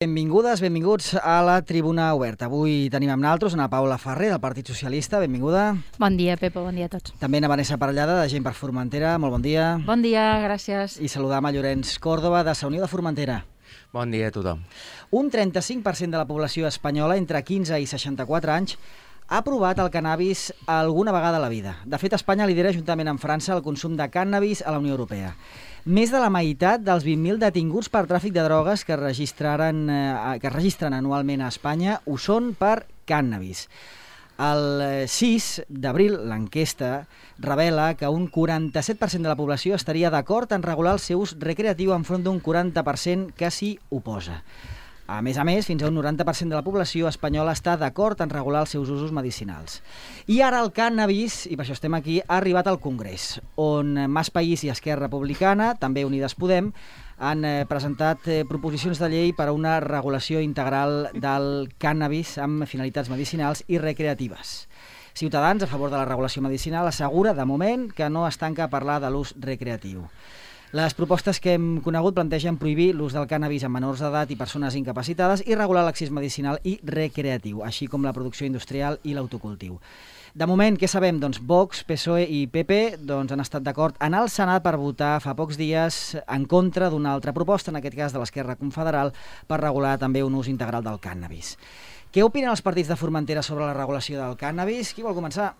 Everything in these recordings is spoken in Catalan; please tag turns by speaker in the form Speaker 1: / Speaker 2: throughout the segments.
Speaker 1: Benvingudes, benvinguts a la Tribuna Oberta. Avui tenim amb nosaltres Ana Paula Ferrer, del Partit Socialista. Benvinguda.
Speaker 2: Bon dia, Pepa, bon dia a tots.
Speaker 1: També a Vanessa Parellada, de Gent per Formentera. Molt bon dia.
Speaker 2: Bon dia, gràcies.
Speaker 1: I saludam a Llorenç Còrdova, de Sa Unió de Formentera.
Speaker 3: Bon dia a tothom.
Speaker 1: Un 35% de la població espanyola entre 15 i 64 anys ha provat el cannabis alguna vegada a la vida. De fet, Espanya lidera juntament amb França el consum de cànnabis a la Unió Europea. Més de la meitat dels 20.000 detinguts per tràfic de drogues que es registren anualment a Espanya ho són per cànnabis. El 6 d'abril, l'enquesta revela que un 47% de la població estaria d'acord en regular el seu ús recreatiu enfront d'un 40% que s'hi oposa. A més, fins a un 90% de la població espanyola està d'acord en regular els seus usos medicinals. I ara el cànnabis, i per això estem aquí, ha arribat al Congrés, on Mas País i Esquerra Republicana, també Unides Podem, han presentat proposicions de llei per a una regulació integral del cànnabis amb finalitats medicinals i recreatives. Ciutadans, a favor de la regulació medicinal, assegura, de moment, que no es tanca a parlar de l'ús recreatiu. Les propostes que hem conegut plantegen prohibir l'ús del cànnabis en menors d'edat i persones incapacitades i regular l'accés medicinal i recreatiu, així com la producció industrial i l'autocultiu. De moment, què sabem? Doncs Vox, PSOE i PP han estat d'acord en el Senat per votar fa pocs dies en contra d'una altra proposta, en aquest cas de l'Esquerra Confederal, per regular també un ús integral del cànnabis. Què opinen els partits de Formentera sobre la regulació del cànnabis? Qui vol començar?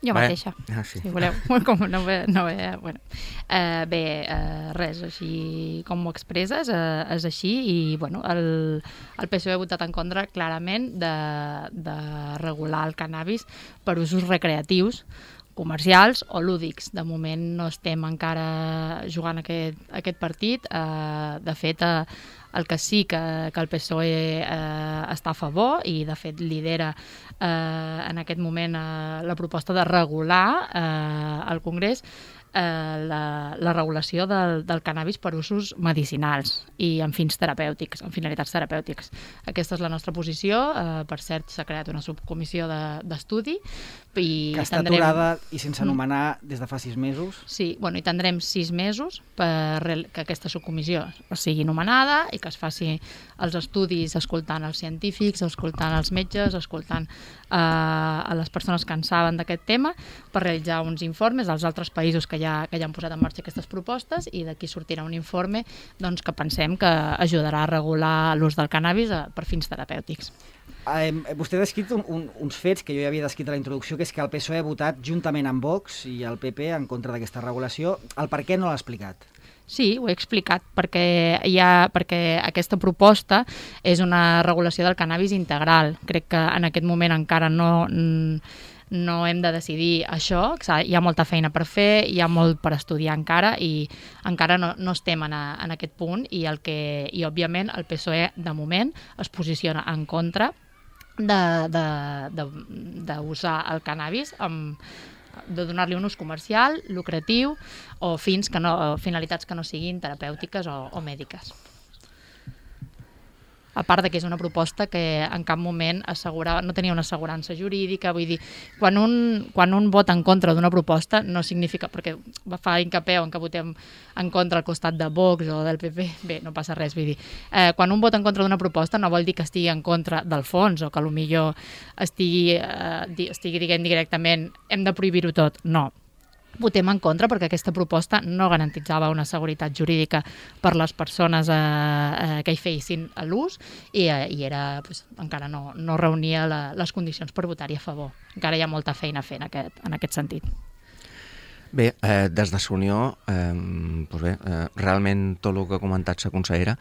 Speaker 2: Jo mateixa,
Speaker 3: sí.
Speaker 2: si voleu. Res, així com ho expresses, és així. I el PSOE ha votat en contra clarament de regular el cannabis per usos recreatius, comercials o lúdics. De moment no estem encara jugant aquest partit. De fet, el que sí que el PSOE està a favor i de fet lidera en aquest moment la proposta de regular al Congrés la regulació del cannabis per usos medicinals i amb fins terapèutics, amb finalitats terapèutiques. Aquesta és la nostra posició. Per cert, s'ha creat una subcomissió d'estudi.
Speaker 1: Que està aturada i sense anomenar des de fa 6 mesos.
Speaker 2: Sí, i tindrem 6 mesos que aquesta subcomissió sigui nomenada i que es faci els estudis escoltant els científics, escoltant els metges, escoltant a les persones que en saben d'aquest tema, per realitzar uns informes als altres països que ja han posat en marxa aquestes propostes, i d'aquí sortirà un informe que pensem que ajudarà a regular l'ús del cannabis per fins terapèutics.
Speaker 1: Vostè ha descrit uns fets que jo ja havia descrit a la introducció, que és que el PSOE ha votat juntament amb Vox i el PP en contra d'aquesta regulació. El per què no l'ha explicat?
Speaker 2: Sí, ho he explicat, perquè aquesta proposta és una regulació del cannabis integral. Crec que en aquest moment encara no hem de decidir això. Hi ha molta feina per fer, hi ha molt per estudiar encara i encara no estem en aquest punt, i òbviament el PSOE de moment es posiciona en contra d'usar el cannabis de donar-li un ús comercial, lucratiu o finalitats que no siguin terapèutiques o mèdiques. A part que és una proposta que en cap moment no tenia una assegurança jurídica. Vull dir, quan un vota en contra d'una proposta no significa, perquè fa hincapié en que votem en contra al costat de Vox o del PP, bé, no passa res. Vull dir, quan un vota en contra d'una proposta no vol dir que estigui en contra del fons o que potser estigui dient directament hem de prohibir-ho tot. No. Votem en contra perquè aquesta proposta no garantitzava una seguretat jurídica per les persones que hi fessin l'ús i encara no reunia les condicions per votar-hi a favor. Encara hi ha molta feina a fer en aquest sentit.
Speaker 3: Bé, des de Sa Unió, realment tot el que ha comentat la consellera,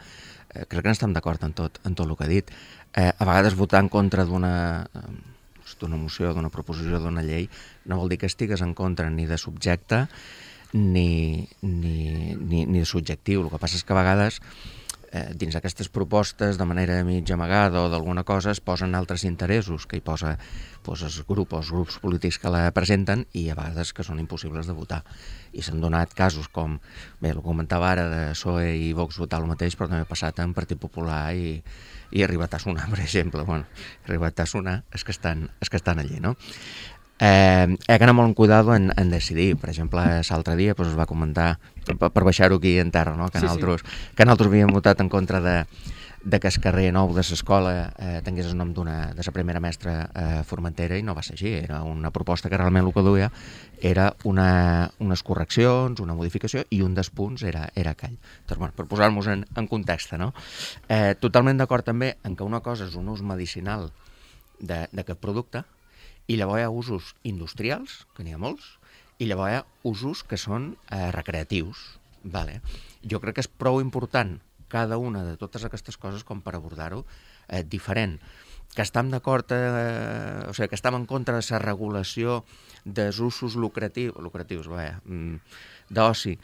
Speaker 3: crec que n'estem d'acord en tot el que ha dit. A vegades votar en contra d'una moció, d'una proposició, d'una llei, no vol dir que estigues en contra ni de subjecte ni de subjectiu. El que passa és que a vegades dins aquestes propostes, de manera mig amagada o d'alguna cosa, es posen altres interessos que hi posa els grups polítics que la presenten, i a vegades que són impossibles de votar. I s'han donat casos com, bé, ho comentava ara, de PSOE i Vox votar el mateix, però també ha passat en Partit Popular i ha arribat a sonar, per exemple. Ha arribat a sonar els que estan allí, no? que anar molt en cuidado en decidir. Per exemple, l'altre dia es va comentar, per baixar-ho aquí en terra, no? que nosaltres havíem votat en contra de que el carrer nou de l'escola tingués el nom de la primera mestra Formentera, i no va ser així. Era una proposta que realment el que duia era unes correccions, una modificació, i un dels punts era aquell. Doncs, per posar-nos en context, no? Totalment d'acord també en que una cosa és un ús medicinal d'aquest producte, i llavors hi ha usos industrials, que n'hi ha molts, i llavors hi ha usos que són recreatius. Vale. Jo crec que és prou important cada una de totes aquestes coses com per abordar-ho diferent. Que estem d'acord, o sigui, que estem en contra de la regulació dels usos lucratius, d'oci,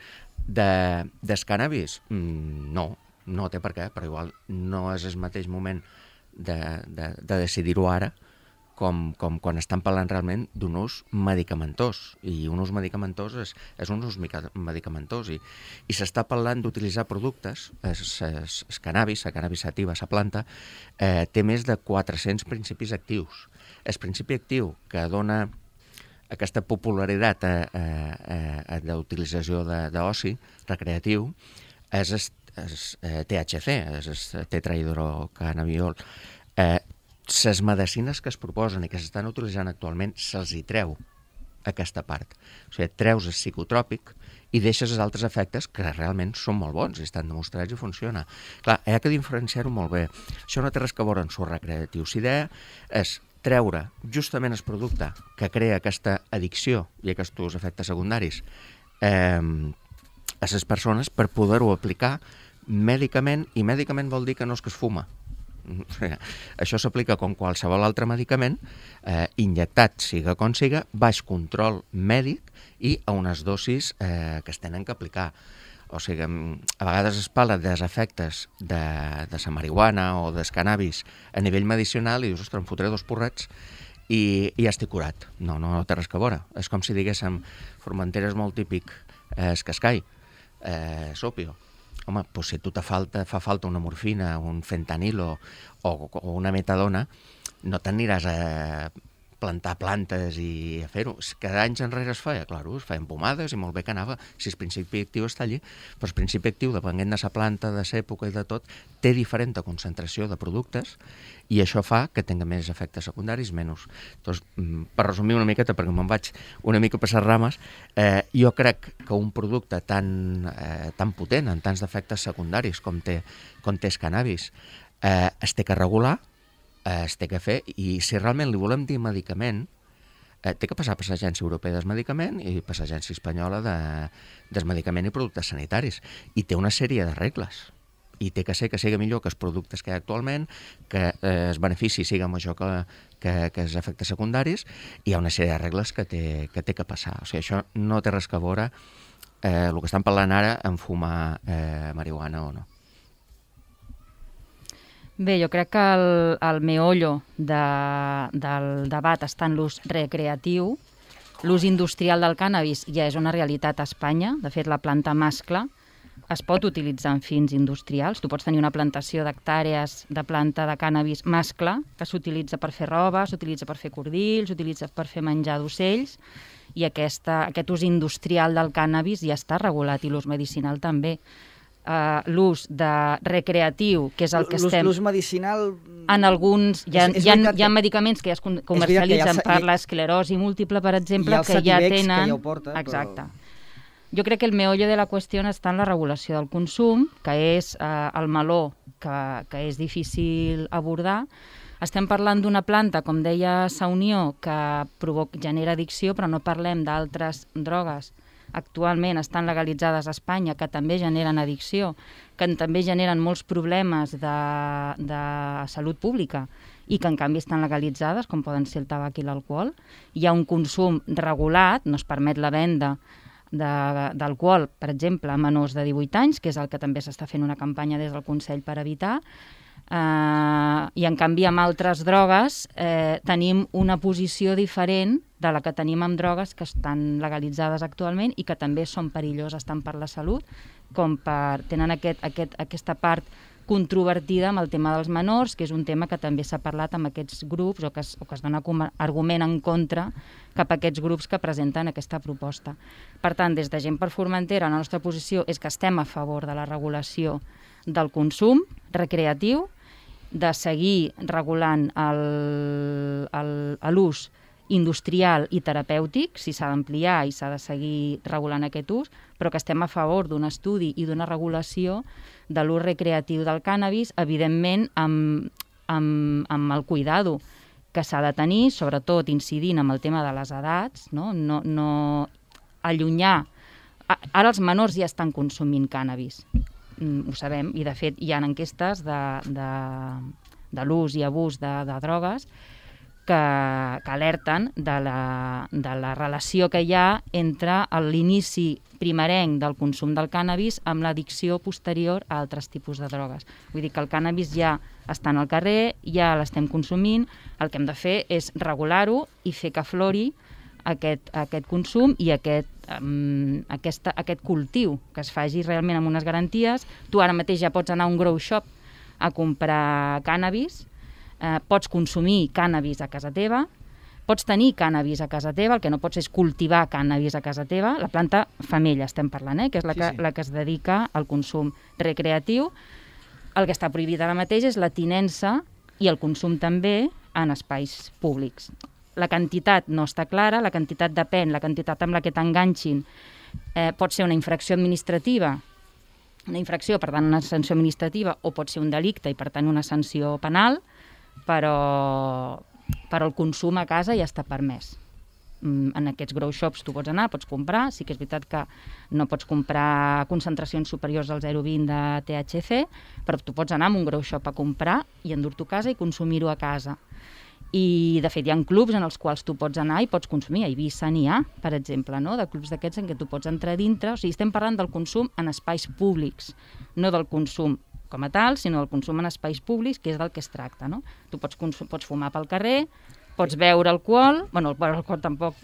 Speaker 3: del cannabis? No té per què, però igual no és el mateix moment de decidir-ho ara com quan estan parlant realment d'un ús medicamentós, i un ús medicamentós és un ús medicamentós, i s'està parlant d'utilitzar productes, el cannabis, la cannabis sativa, la planta, té més de 400 principis actius. El principi actiu que dona aquesta popularitat d'utilització d'oci recreatiu és el THC, és el tetrahidrocannabidiol. Les medicines que es proposen i que s'estan utilitzant actualment se'ls hi treu aquesta part. O sigui, treus el psicotròpic i deixes els altres efectes que realment són molt bons i estan demostrats i funciona. Clar, hi ha que diferenciar-ho molt bé. Això no té res que veure amb el recreatiu. L'idea és treure justament el producte que crea aquesta addicció i aquests efectes secundaris a les persones per poder-ho aplicar mèdicament, i mèdicament vol dir que no és que es fuma. Això s'aplica com qualsevol altre medicament, injectat, siga com siga, baix control mèdic i a unes dosis que es tenen que aplicar. O sigui, a vegades es parla dels efectes de la marihuana o del cannabis a nivell medicinal i dius, ostres, em fotré 2 porrets i ja estic curat. No té res que veure. És com si diguéssim, Formentera és molt típic, és cascai, s'òpio. Home, doncs si a tu fa falta una morfina, un fentanilo o una metadona, no t'aniràs a plantar plantes i a fer-ho. Cada anys enrere es feia, clar, es feien pomades i molt bé que anava, si el principi actiu està allí, però el principi actiu, depenent de la planta, de l'època i de tot, té diferent concentració de productes i això fa que tingui més efectes secundaris, menys. Doncs, per resumir una miqueta, perquè me'n vaig una mica per les rames, jo crec que un producte tan potent, en tants d'efectes secundaris com té el cannabis, es té que regular, es té que fer, i si realment li volem dir medicament, té que passar per l'Agència Europea del Medicament i per l'Agència Espanyola del Medicament i Productes Sanitaris. I té una sèrie de regles. I té que ser que sigui millor que els productes que hi ha actualment, que el benefici siga major que els efectes secundaris, i hi ha una sèrie de regles que té que passar. O sigui, això no té res que veure el que estan parlant ara en fumar marihuana o no.
Speaker 4: Bé, jo crec que el meollo del debat està en l'ús recreatiu. L'ús industrial del cànnabis ja és una realitat a Espanya. De fet, la planta mascle es pot utilitzar en fins industrials. Tu pots tenir una plantació d'hectàrees de planta de cànnabis mascle que s'utilitza per fer roba, s'utilitza per fer cordills, s'utilitza per fer menjar d'ocells, i aquest ús industrial del cànnabis ja està regulat, i l'ús medicinal també. L'ús de recreatiu, que és el que estem...
Speaker 1: L'ús medicinal...
Speaker 4: En alguns... Hi ha medicaments que ja es comercialitzen per l'esclerosi múltiple, per exemple, que ja tenen...
Speaker 1: que ja ho porta,
Speaker 4: exacte. Jo crec que el meollo de la qüestió està en la regulació del consum, que és el meló que és difícil abordar. Estem parlant d'una planta, com deia Saunió, que genera addicció, però no parlem d'altres drogues actualment estan legalitzades a Espanya, que també generen addicció, que també generen molts problemes de salut pública i que en canvi estan legalitzades, com poden ser el tabac i l'alcohol. Hi ha un consum regulat, no es permet la venda d'alcohol, per exemple, a menors de 18 anys, que és el que també s'està fent una campanya des del Consell per evitar, i en canvi amb altres drogues tenim una posició diferent de la que tenim amb drogues que estan legalitzades actualment i que també són perilloses tant per la salut com tenen aquesta part controvertida amb el tema dels menors, que és un tema que també s'ha parlat amb aquests grups o que es dona com a argument en contra cap a aquests grups que presenten aquesta proposta. Per tant, des de Gent per Formentera, la nostra posició és que estem a favor de la regulació del consum recreatiu, de seguir regulant l'ús industrial i terapèutic, si s'ha d'ampliar i s'ha de seguir regulant aquest ús, però que estem a favor d'un estudi i d'una regulació de l'ús recreatiu del cànnabis, evidentment amb el cuidado que s'ha de tenir, sobretot incidint amb el tema de les edats, no allunyar. Ara els menors ja estan consumint cànnabis, ho sabem, i de fet hi ha enquestes de l'ús i abús de drogues que alerten de la relació que hi ha entre l'inici primerenc del consum del cànnabis amb l'addicció posterior a altres tipus de drogues. Vull dir que el cànnabis ja està al carrer, ja l'estem consumint, el que hem de fer és regular-ho i fer que aflori aquest consum i aquest cultiu, que es faci realment amb unes garanties. Tu ara mateix ja pots anar a un grow shop a comprar cànnabis, pots consumir cànnabis a casa teva, pots tenir cànnabis a casa teva, el que no pots és cultivar cànnabis a casa teva, la planta femella estem parlant, que és la que es dedica al consum recreatiu. El que està prohibit ara mateix és la tinença i el consum també en espais públics. La quantitat no està clara, la quantitat depèn, la quantitat amb la que t'enganxin pot ser una infracció administrativa, una infracció, per tant una sanció administrativa, o pot ser un delicte i per tant una sanció penal, però el consum a casa ja està permès. En aquests grow shops tu pots anar, pots comprar, sí que és veritat que no pots comprar concentracions superiors al 0,20 de THC, però tu pots anar a un grow shop a comprar i endur-t'ho a casa i consumir-ho a casa. I de fet hi ha clubs en els quals tu pots anar i pots consumir. A Eivissa n'hi ha, per exemple, de clubs d'aquests en què tu pots entrar dintre. O sigui, estem parlant del consum en espais públics, no del consum com a tal, sinó del consum en espais públics, que és del que es tracta. Tu pots fumar pel carrer, pots beure alcohol, bueno, el alcohol tampoc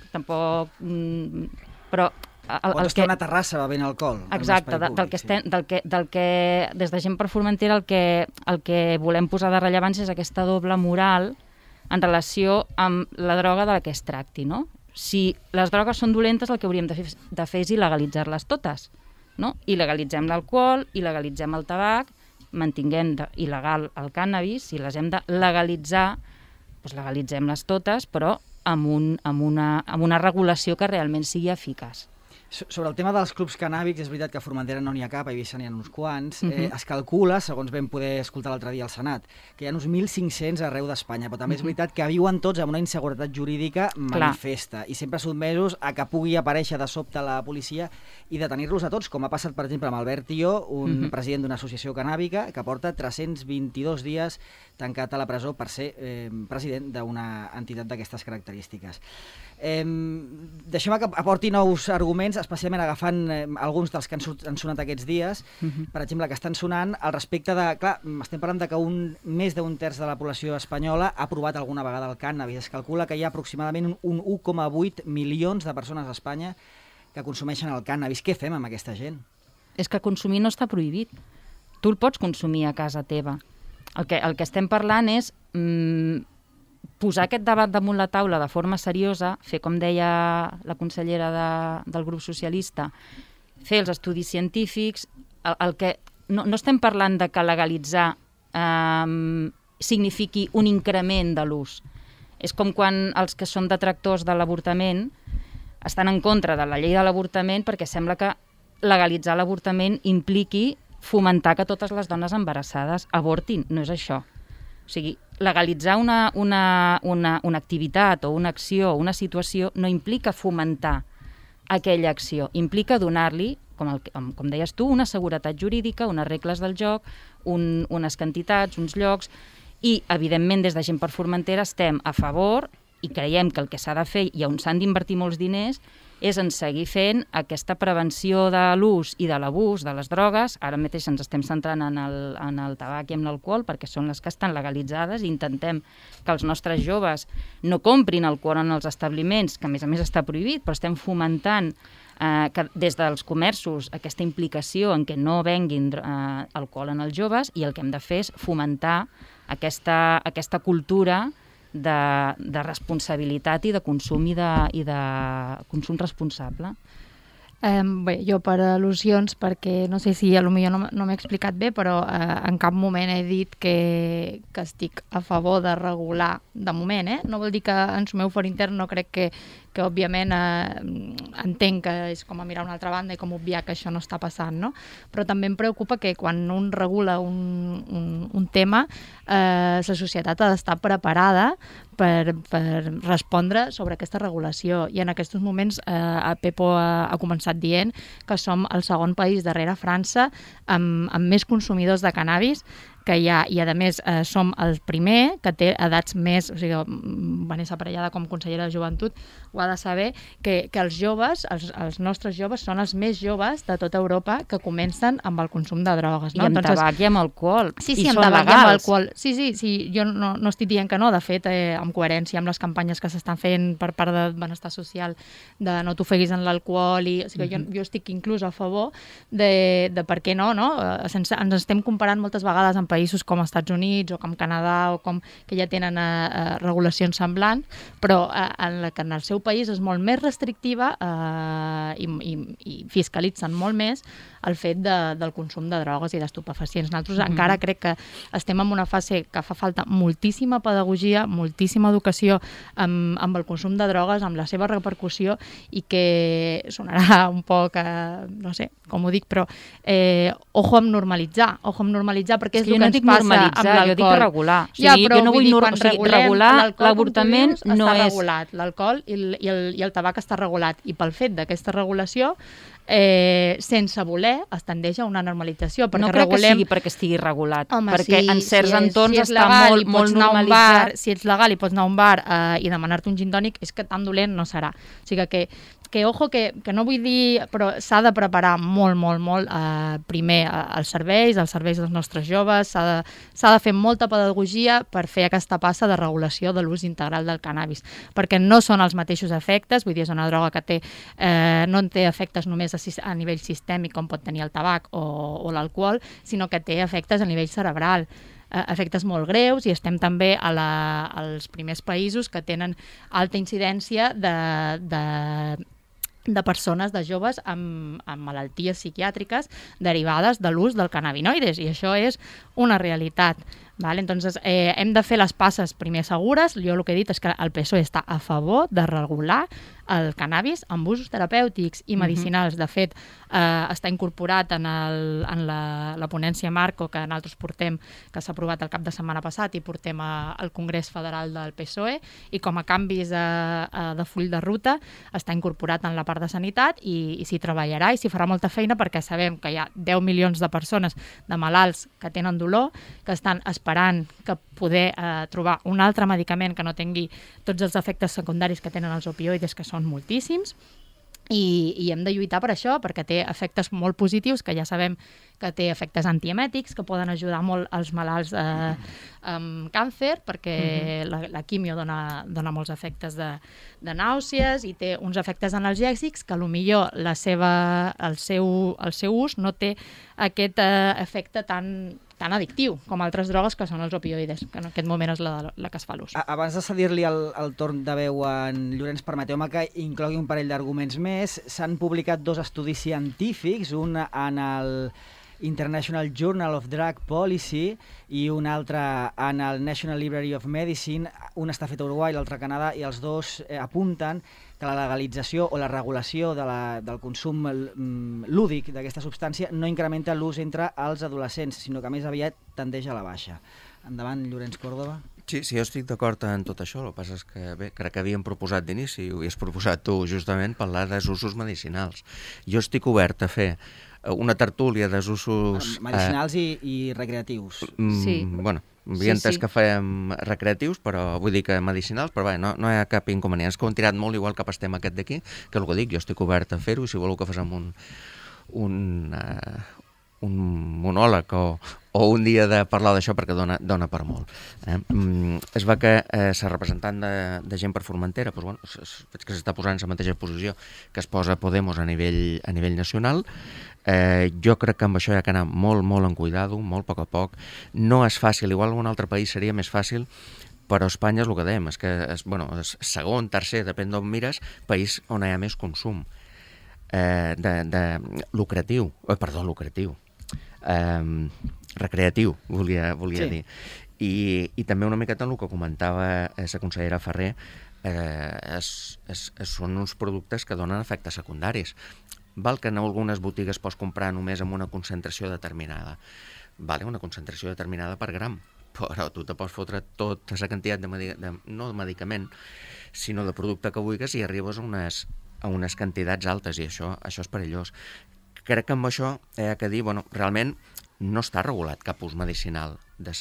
Speaker 4: però...
Speaker 1: Pots estar a una terrassa bevent alcohol.
Speaker 4: Exacte, del que des de Gent per Formentera el que volem posar de rellevància és aquesta doble moral en relació amb la droga de la que es tracti, no? Si les drogues són dolentes, el que hauríem de fer és il·legalitzar-les totes, no? Il·legalitzem l'alcohol, il·legalitzem el tabac, mantinguem il·legal el cànnabis, si les hem de legalitzar, doncs legalitzem-les totes, però amb una regulació que realment sigui eficaç.
Speaker 1: Sobre el tema dels clubs cannàbics, és veritat que a Formentera no n'hi ha cap, a Eivissa n'hi ha uns quants. Es calcula, segons vam poder escoltar l'altre dia al Senat, que hi ha uns 1.500 arreu d'Espanya, però també és veritat que viuen tots amb una inseguretat jurídica manifesta i sempre sotmesos a que pugui aparèixer de sobte la policia i detenir-los a tots, com ha passat, per exemple, amb Albert Tió, un president d'una associació cannàbica que porta 322 dies tancat a la presó per ser president d'una entitat d'aquestes característiques. Deixem-me que aporti nous arguments, especialment agafant alguns dels que han sonat aquests dies, per exemple, que estan sonant al respecte de... Clar, estem parlant de que més d'un terç de la població espanyola ha provat alguna vegada el cànnabis. Es calcula que hi ha aproximadament un 1,8 milions de persones a Espanya que consumeixen el cànnabis. Què fem amb aquesta gent?
Speaker 4: És que consumir no està prohibit. Tu el pots consumir a casa teva. El que estem parlant és posar aquest debat damunt la taula de forma seriosa, fer, com deia la consellera del grup socialista, fer els estudis científics. No estem parlant de que legalitzar signifiqui un increment de l'ús. És com quan els que són detractors de l'avortament estan en contra de la llei de l'avortament perquè sembla que legalitzar l'avortament impliqui fomentar que totes les dones embarassades avortin. No és això. O sigui, legalitzar una activitat o una acció o una situació no implica fomentar aquella acció, implica donar-li, com deies tu, una seguretat jurídica, unes regles del joc, unes quantitats, uns llocs, i, evidentment, des de Gent per Formentera estem a favor i creiem que el que s'ha de fer i on s'han d'invertir molts diners és en seguir fent aquesta prevenció de l'ús i de l'abús de les drogues. Ara mateix ens estem centrant en el tabac i en l'alcohol perquè són les que estan legalitzades i intentem que els nostres joves no comprin alcohol en els establiments, que a més està prohibit, però estem fomentant que des dels comerços aquesta implicació en què no venguin alcohol en els joves, i el que hem de fer és fomentar aquesta cultura de responsabilitat i de consum i de consum responsable.
Speaker 2: Bé, jo per al·lusions, perquè no sé si potser no m'he explicat bé, però en cap moment he dit que estic a favor de regular, de moment, no vol dir que en el meu for intern no crec que òbviament entenc que és com a mirar a una altra banda i com obviar que això no està passant, no? Però també em preocupa que quan un regula un tema, la societat ha d'estar preparada per respondre sobre aquesta regulació. I en aquests moments Pepo ha començat dient que som el segon país darrere França amb més consumidors de cannabis que hi ha, i a més som el primer que té edats més, o sigui, Vanessa Parellada com consellera de Joventut ho ha de saber, que els joves, els nostres joves són els més joves de tota Europa que comencen amb el consum de drogues.
Speaker 4: No? I amb tabac i amb alcohol.
Speaker 2: Sí, amb tabac i amb alcohol. Sí, jo no estic dient que no, de fet, amb coherència amb les campanyes que s'estan fent per part de benestar social, de no t'ofeguis en l'alcohol, o sigui, jo estic inclús a favor de per què no? Ens estem comparant moltes vegades amb països com els Estats Units o com Canadà o com que ja tenen regulacions semblants, però que en el seu país és molt més restrictiva i fiscalitzen molt més el fet del consum de drogues i d'estupefacients. Nosaltres encara crec que estem en una fase que fa falta moltíssima pedagogia, moltíssima educació amb el consum de drogues, amb la seva repercussió, i que sonarà un poc, no sé com ho dic, però ojo amb normalitzar, perquè és el que ens passa amb l'alcohol.
Speaker 4: Jo dic regular.
Speaker 2: Jo
Speaker 4: no vull regular, l'avortament no és...
Speaker 2: regulat, l'alcohol i el tabac està regulat, i pel fet d'aquesta regulació sense voler es tendeix a una normalització.
Speaker 4: No crec que sigui perquè estigui regulat, perquè en certs entorns està molt normalitzat.
Speaker 2: Si ets legal i pots anar a un bar i demanar-te un gin tònic, és que tan dolent no serà. O sigui que ojo, que no vull dir, però s'ha de preparar molt primer els serveis dels nostres joves, s'ha de fer molta pedagogia per fer aquesta passa de regulació de l'ús integral del cannabis, perquè no són els mateixos efectes, vull dir, és una droga que no té efectes només a nivell sistèmic com pot tenir el tabac o l'alcohol, sinó que té efectes a nivell cerebral, efectes molt greus, i estem també als primers països que tenen alta incidència de persones, de joves amb malalties psiquiàtriques derivades de l'ús del cannabinoides, i això és una realitat. Entonces, hem de fer les passes primer segures. Jo el que he dit és que el PSOE està a favor de regular el cannabis amb usos terapèutics i medicinals. De fet, està incorporat en la ponència Marco que nosaltres portem, que s'ha aprovat el cap de setmana passat, i portem al Congrés Federal del PSOE, i com a canvis de full de ruta està incorporat en la part de sanitat, i s'hi treballarà i s'hi farà molta feina, perquè sabem que hi ha 10 milions de persones, de malalts que tenen dolor, que estan esperant que poder trobar un altre medicament que no tingui tots els efectes secundaris que tenen els opioides, que són moltíssims, i hem de lluitar per això, perquè té efectes molt positius, que ja sabem que té efectes antiemètics, que poden ajudar molt els malalts amb càncer, perquè la quimio dona molts efectes de nàusees, i té uns efectes analgèsics que potser el seu ús no té aquest efecte tan addictiu com altres drogues, que són els opioides, que en aquest moment és la que es fa l'ús.
Speaker 1: Abans de cedir-li el torn de veu a en Llorenç, permeteu-me que inclogui un parell d'arguments més. S'han publicat 2 estudis científics, un en el International Journal of Drug Policy i un altre en el National Library of Medicine. Un està fet a Uruguai, l'altre a Canadà, i els dos apunten que la legalització o la regulació del consum lúdic d'aquesta substància no incrementa l'ús entre els adolescents, sinó que més aviat tendeix a la baixa. Endavant, Llorenç Córdoba.
Speaker 3: Sí, jo estic d'acord en tot això. El que passa és que, bé, crec que havíem proposat d'inici, ho havies proposat tu, justament, parlar dels usos medicinals. Jo estic obert a fer una tertúlia dels usos...
Speaker 1: medicinals i recreatius.
Speaker 3: Sí. Bueno, havia entès que fèiem recreatius, però vull dir que medicinals, però bé, no hi ha cap inconvenient. És que ho han tirat molt igual cap estem aquest d'aquí, que el que dic, jo estic obert a fer-ho, i si voleu que fem un un monòleg o un dia de parlar d'això perquè dona per molt. Es va que ser representant de gent per Formentera, doncs, veig que s'està posant en la mateixa posició que es posa Podemos a nivell nacional. Jo crec que amb això hi ha que anar molt, molt en cuidado, molt a poc. No és fàcil, igual en un altre país seria més fàcil, però Espanya és el que dèiem, és que és segon, tercer, depèn d'on mires, país on hi ha més consum recreatiu, volia dir. I també una miqueta en el que comentava la consellera Ferrer, són uns productes que donen efectes secundaris. Val que en algunes botigues pots comprar només amb una concentració determinada. Vale, una concentració determinada per gram, però tu te pots fotre tota la quantitat no de medicament, sinó de producte que vulguis i arribes a unes quantitats altes i això és perillós. Crec que amb això hi ha que dir, realment no està regulat cap ús medicinal del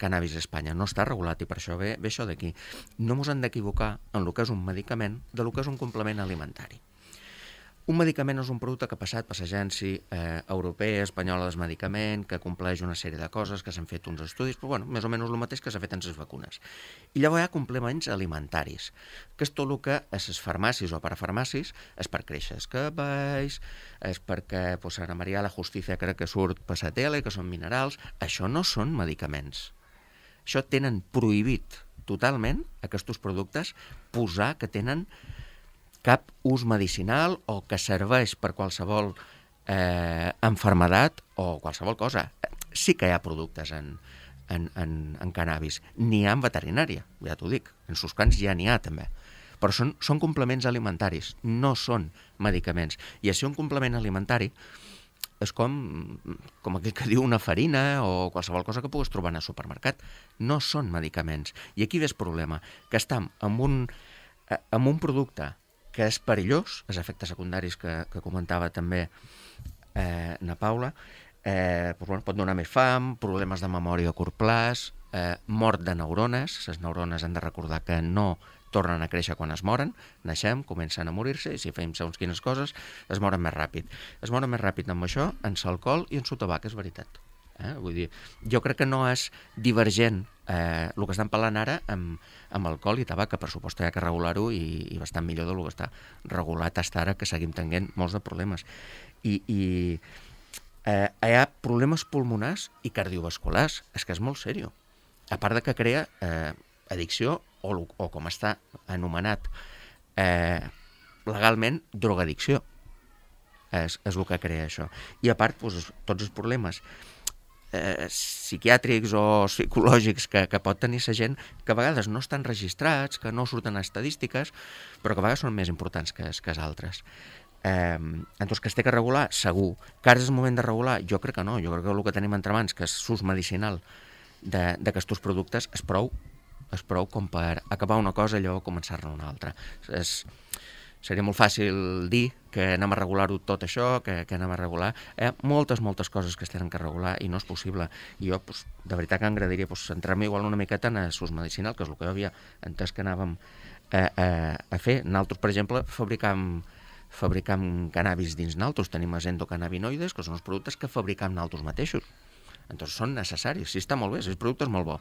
Speaker 3: cannabis a Espanya, no està regulat i per això ve això d'aquí. No ens hem d'equivocar en el que és un medicament del que és un complement alimentari. Un medicament és un producte que ha passat per l'Agència Europea, Espanyola del Medicament, que compleix una sèrie de coses, que s'han fet uns estudis, però més o menys el mateix que s'ha fet en les vacunes. I llavors hi ha complements alimentaris, que és tot el que a les farmàcies o parafarmàcies és per créixer els cabells, és perquè Ana Maria la Justícia crec que surt per la tele, que són minerals. Això no són medicaments. Això tenen prohibit totalment, aquests productes, posar que tenen cap ús medicinal o que serveix per qualsevol enfermedat o qualsevol cosa. Sí que hi ha productes en cannabis. N'hi ha en veterinària, ja t'ho dic. En suscans ja n'hi ha també. Però són complements alimentaris, no són medicaments. I si un complement alimentari és com aquell que diu una farina o qualsevol cosa que puguis trobar en el supermercat. No són medicaments. I aquí ve el problema, que estem amb un producte que és perillós, els efectes secundaris que comentava també na Paula, pot donar més fam, problemes de memòria a curt plaç, mort de neurones. Les neurones han de recordar que no tornen a créixer quan es moren, naixem, comencen a morir-se, i si fem segons quines coses, es moren més ràpid. Es moren més ràpid amb això, en l'alcohol i en el tabac, és veritat. Vull dir, jo crec que no és divergent el que estan parlant ara amb alcohol i tabac, que per supost hi ha que regular-ho i bastant millor del que està regulat fins ara, que seguim tenint molts de problemes. I hi ha problemes pulmonars i cardiovasculars, és que és molt seriós. A part de que crea addicció o com està anomenat legalment, drogadicció. És el que crea això. I a part, tots els problemes psiquiàtrics o psicològics que pot tenir la gent, que a vegades no estan registrats, que no surten a estadístiques, però que a vegades són més importants que els altres. Entonces, que es té que regular, segur. Que ara és el moment de regular? Jo crec que no. Jo crec que el que tenim entre mans, que és l'ús medicinal d'aquests productes, és prou com per acabar una cosa i llavors començar-ne una altra. Seria molt fàcil dir que anem a regular-ho tot això, que anem a regular. Hi ha moltes coses que es tenen que regular i no és possible. I jo, de veritat que m'agradaria centrar-me igual una miqueta en l'ús medicinal, que és el que jo havia entès que anàvem a fer. Nosaltres, per exemple, fabricam cannabis dins nosaltres. Tenim els endocannabinoides, que són els productes que fabricam nosaltres mateixos. Entonces són necessaris, sí, està molt bé, el producte és molt bo.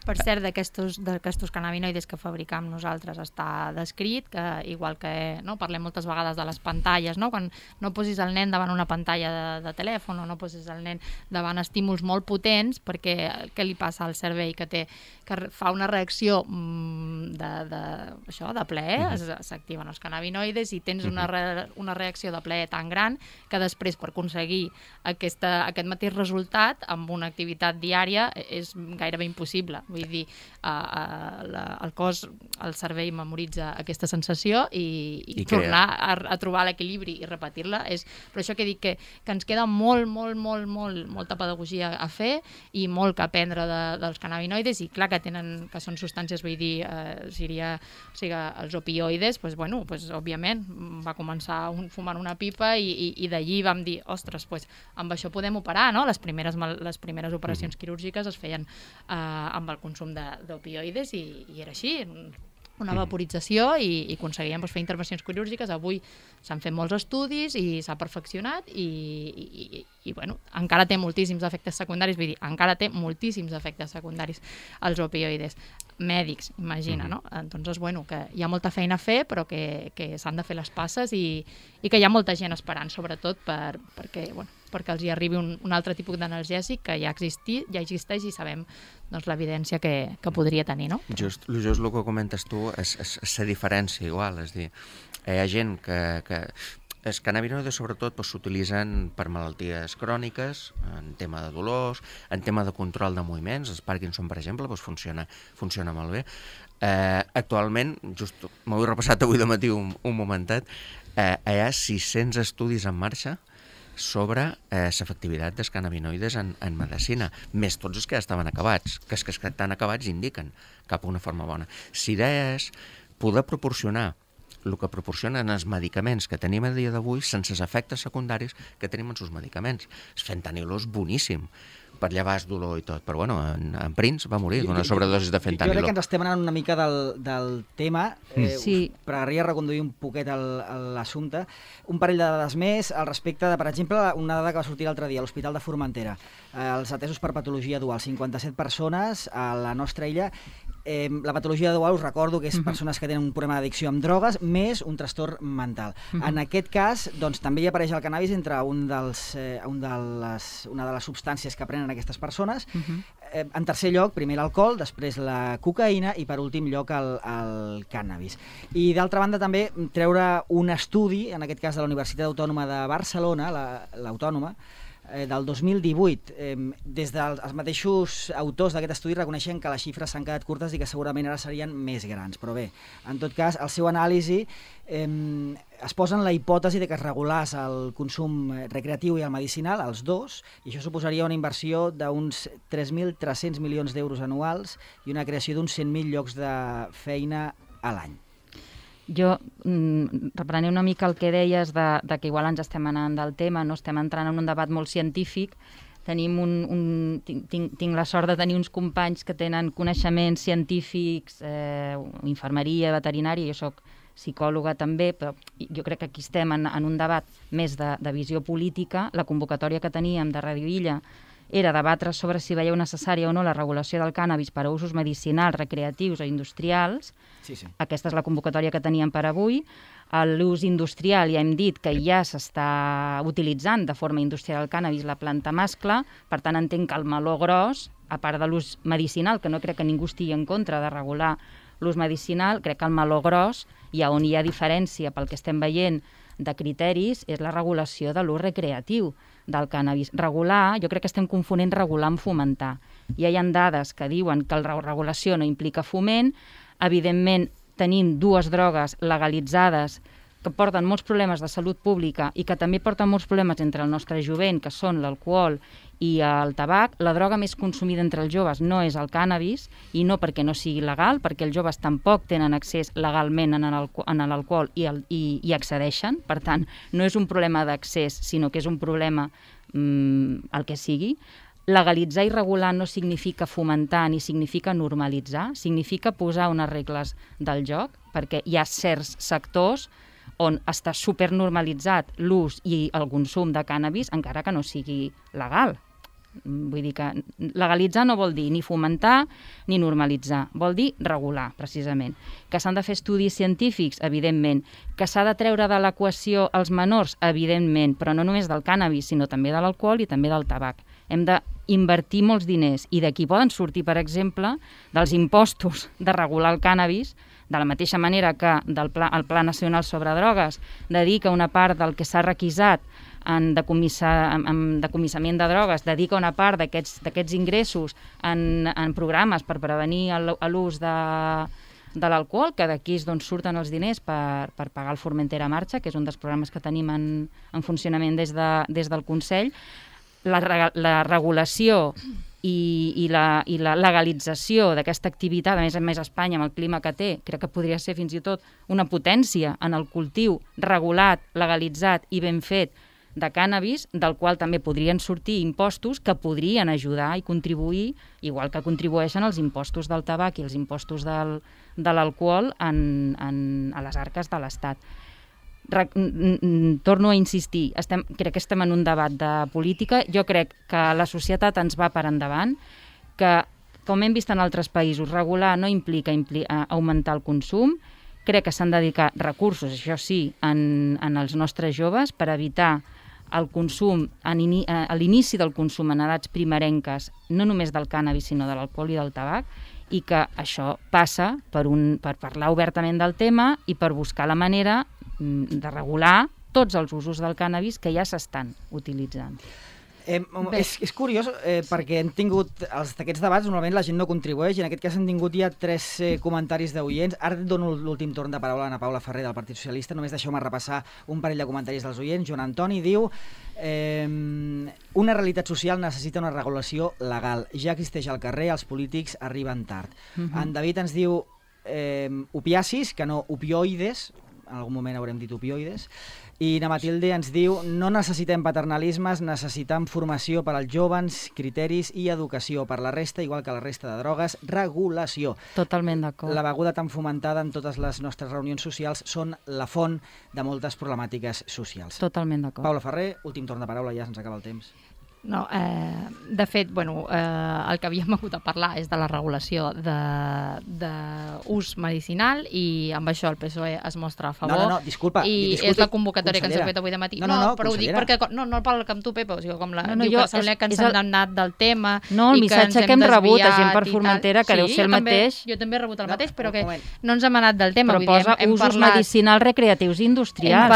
Speaker 2: Per cert, d'aquestos cannabinoides que fabricam nosaltres està descrit, que igual que parlem moltes vegades de les pantalles, quan no posis el nen davant una pantalla de telèfon o no posis el nen davant estímuls molt potents, perquè què li passa al cervell que fa una reacció de plaer, s'activen els cannabinoides i tens una reacció de plaer tan gran que després per aconseguir aquest mateix resultat amb una activitat diària és gairebé impossible. Vull dir, el cos, el cervell memoritza aquesta sensació i tornar a trobar l'equilibri i repetir-la. Per això que dic que ens queda molta pedagogia a fer i molt que aprendre dels cannabinoides, i clar que són substàncies, vull dir, els opioides, òbviament va començar fumant una pipa i d'allí vam dir, ostres, amb això podem operar, no? Les primeres operacions quirúrgiques es feien amb el consum d'opioides i era així, una vaporització i aconseguíem fer intervencions quirúrgiques. Avui s'han fet molts estudis i s'ha perfeccionat i bueno, encara té moltíssims efectes secundaris, vull dir, encara té moltíssims efectes secundaris els opioides mèdics, imagina, no? Entonces, bueno, que hi ha molta feina a fer, però que s'han de fer les passes i que hi ha molta gent esperant, sobretot perquè els hi arribi un altre tipus d'analgèsic que ja existeix i sabem l'evidència que podria tenir, no?
Speaker 3: Just el que comentes tu és la diferència igual, és dir, hi ha gent que els cannabinoides sobretot s'utilitzen per malalties cròniques, en tema de dolors, en tema de control de moviments, el Parkinson, per exemple, funciona molt bé. Actualment, just m'ho he repassat avui de matí un momentet, hi ha 600 estudis en marxa sobre l'efectivitat dels cannabinoides en medicina, més tots els que ja estaven acabats, que els que estan acabats indiquen cap a una forma bona. Si idea és poder proporcionar el que proporcionen els medicaments que tenim a dia d'avui sense els efectes secundaris que tenim en els medicaments. El fentanil és boníssim per llevar el dolor i tot, però bueno, en Prince va morir d'una sobredosi de fentanil.
Speaker 1: Jo crec que ens estem anant una mica del tema,
Speaker 4: Sí.
Speaker 1: però m'agradaria reconduir un poquet l'assumpte. Un parell de dades més al respecte de, per exemple, una dada que va sortir l'altre dia a l'Hospital de Formentera. Els atesos per patologia dual, 57 persones a la nostra illa. La patologia dual, us recordo que és persones que tenen un problema d'addicció amb drogues més un trastorn mental. En aquest cas, doncs, també hi apareix el cannabis entre una de les substàncies que prenen aquestes persones. En tercer lloc, primer l'alcohol, després la cocaïna i per últim lloc el cannabis. I d'altra banda també treure un estudi, en aquest cas de la Universitat Autònoma de Barcelona, l'Autònoma, del 2018. Des dels mateixos autors d'aquest estudi reconeixen que les xifres s'han quedat curtes i que segurament ara serien més grans. Però bé, en tot cas, el seu anàlisi es posa en la hipòtesi de que es regulés el consum recreatiu i el medicinal, els dos, i això suposaria una inversió d'uns 3.300 milions d'euros anuals i una creació d'uns 100.000 llocs de feina a l'any.
Speaker 4: Jo, reprenent una mica el que deies de que igual ens estem anant del tema, no estem entrant en un debat molt científic, tinc la sort de tenir uns companys que tenen coneixements científics, infermeria, veterinària, jo soc psicòloga també, però jo crec que aquí estem en un debat més de visió política. La convocatòria que teníem de Radio Illa era debatre sobre si veieu necessària o no la regulació del cànnabis per a usos medicinals, recreatius o industrials.
Speaker 1: Sí.
Speaker 4: Aquesta és la convocatòria que teníem per avui. L'ús industrial, ja hem dit que ja s'està utilitzant de forma industrial el cànnabis, la planta mascle, per tant entenc que el meló gros, a part de l'ús medicinal, que no crec que ningú estigui en contra de regular l'ús medicinal, crec que el meló gros, i on hi ha diferència pel que estem veient de criteris, és la regulació de l'ús recreatiu del cànnabis. Regular, jo crec que estem confonent regular amb fomentar. Ja hi ha dades que diuen que la regulació no implica foment. Evidentment, tenim dues drogues legalitzades que porten molts problemes de salut pública i que també porten molts problemes entre el nostre jovent, que són l'alcohol i el tabac. La droga més consumida entre els joves no és el cànnabis, i no perquè no sigui legal, perquè els joves tampoc tenen accés legalment a l'alcohol i accedeixen. Per tant, no és un problema d'accés, sinó que és un problema el que sigui. Legalitzar i regular no significa fomentar ni significa normalitzar, significa posar unes regles del joc, perquè hi ha certs sectors on està supernormalitzat l'ús i el consum de cànnabis, encara que no sigui legal. Vull dir que legalitzar no vol dir ni fomentar ni normalitzar, vol dir regular, precisament. Que s'han de fer estudis científics, evidentment. Que s'ha de treure de l'equació els menors, evidentment, però no només del cànnabis, sinó també de l'alcohol i també del tabac. Hem d'invertir molts diners i d'aquí poden sortir, per exemple, dels impostos de regular el cànnabis, de la mateixa manera que el Pla Nacional sobre Drogues dedica una part del que s'ha requisat en decomissament de drogues, dedica una part d'aquests ingressos en programes per prevenir l'ús de l'alcohol, que d'aquí surten els diners per pagar el Formentera Marxa, que és un dels programes que tenim en funcionament des del Consell. La regulació i la legalització d'aquesta activitat, a més a Espanya, amb el clima que té, crec que podria ser fins i tot una potència en el cultiu regulat, legalitzat i ben fet de cànnabis, del qual també podrien sortir impostos que podrien ajudar i contribuir, igual que contribueixen els impostos del tabac i els impostos de l'alcohol a les arques de l'Estat. torno a insistir, crec que estem en un debat de política. Jo crec que la societat ens va per endavant, que, com hem vist en altres països, regular no implica augmentar el consum. Crec que s'han de dedicar recursos, això sí, en els nostres joves per evitar el consum, a l'inici del consum en edats primerenques, no només del cànnabis, sinó de l'alcohol i del tabac, i que això passa per parlar obertament del tema i per buscar la manera de regular tots els usos del cànnabis que ja s'estan utilitzant.
Speaker 1: És curiós perquè hem tingut aquests debats, normalment la gent no contribueix, i en aquest cas hem tingut ja 3 comentaris d'oients. Ara et dono l'últim torn de paraula a Ana Paula Ferrer del Partit Socialista, només deixeu-me repassar un parell de comentaris dels oients. Joan Antoni diu: una realitat social necessita una regulació legal, ja existeix al carrer, els polítics arriben tard. En David ens diu opiacis, que no opioides, en algun moment haurem dit opioides. I na Matilde ens diu: no necessitem paternalismes, necessitem formació per als jóvens, criteris i educació. Per la resta, igual que la resta de drogues, regulació.
Speaker 4: Totalment d'acord.
Speaker 1: La beguda tan fomentada en totes les nostres reunions socials són la font de moltes problemàtiques socials.
Speaker 4: Totalment d'acord.
Speaker 1: Paula Ferrer, últim torn de paraula, ja se'ns acaba el temps.
Speaker 2: No, de fet, el que havíem hagut de parlar és de la regulació d'ús medicinal, i amb això el PSOE es mostra a favor.
Speaker 1: No, disculpa.
Speaker 2: I és la convocatòria que ens heu fet avui de matí.
Speaker 1: No,
Speaker 2: però ho dic perquè, no parlo amb tu, Pepa, o sigui, com diu que sembla que ens han anat del tema.
Speaker 4: No, el missatge que hem rebut a gent per Formentera, que deu ser el mateix.
Speaker 2: Jo també he rebut el mateix, però que no ens hem anat del tema.
Speaker 4: Però posa usos medicinals, recreatius i industrials.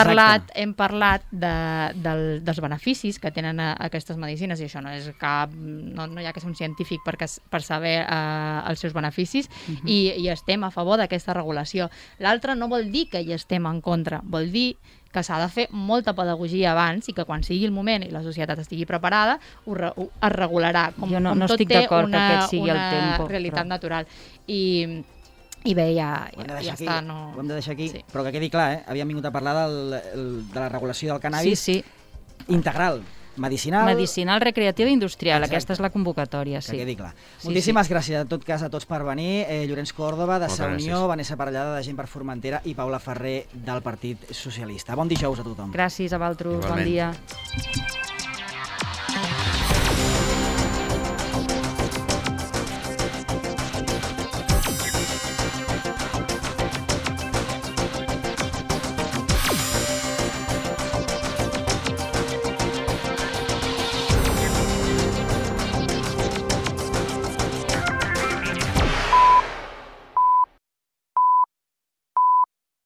Speaker 2: Hem parlat dels beneficis que tenen aquestes medicines, i això no és cap... No hi ha que ser un científic per saber els seus beneficis, i estem a favor d'aquesta regulació. L'altre no vol dir que hi estem en contra, vol dir que s'ha de fer molta pedagogia abans, i que quan sigui el moment i la societat estigui preparada, es regularà.
Speaker 4: Jo no estic d'acord que aquest sigui el tempo.
Speaker 2: Una realitat natural. I bé, ja està.
Speaker 1: Ho hem de deixar aquí, però que quedi clar, havíem vingut a parlar de la regulació del cànnabis integral. Medicinal,
Speaker 4: recreativa i industrial. Exacte. Aquesta és la convocatòria, sí.
Speaker 1: Que quedi clar. Moltíssimes gràcies, en tot cas, a tots per venir. Llorenç Còrdova, de Sa Unió, Vanessa Parellada, de Gent per Formentera, i Paula Ferrer, del Partit Socialista. Bon dijous a tothom.
Speaker 4: Gràcies a vosaltres, bon dia.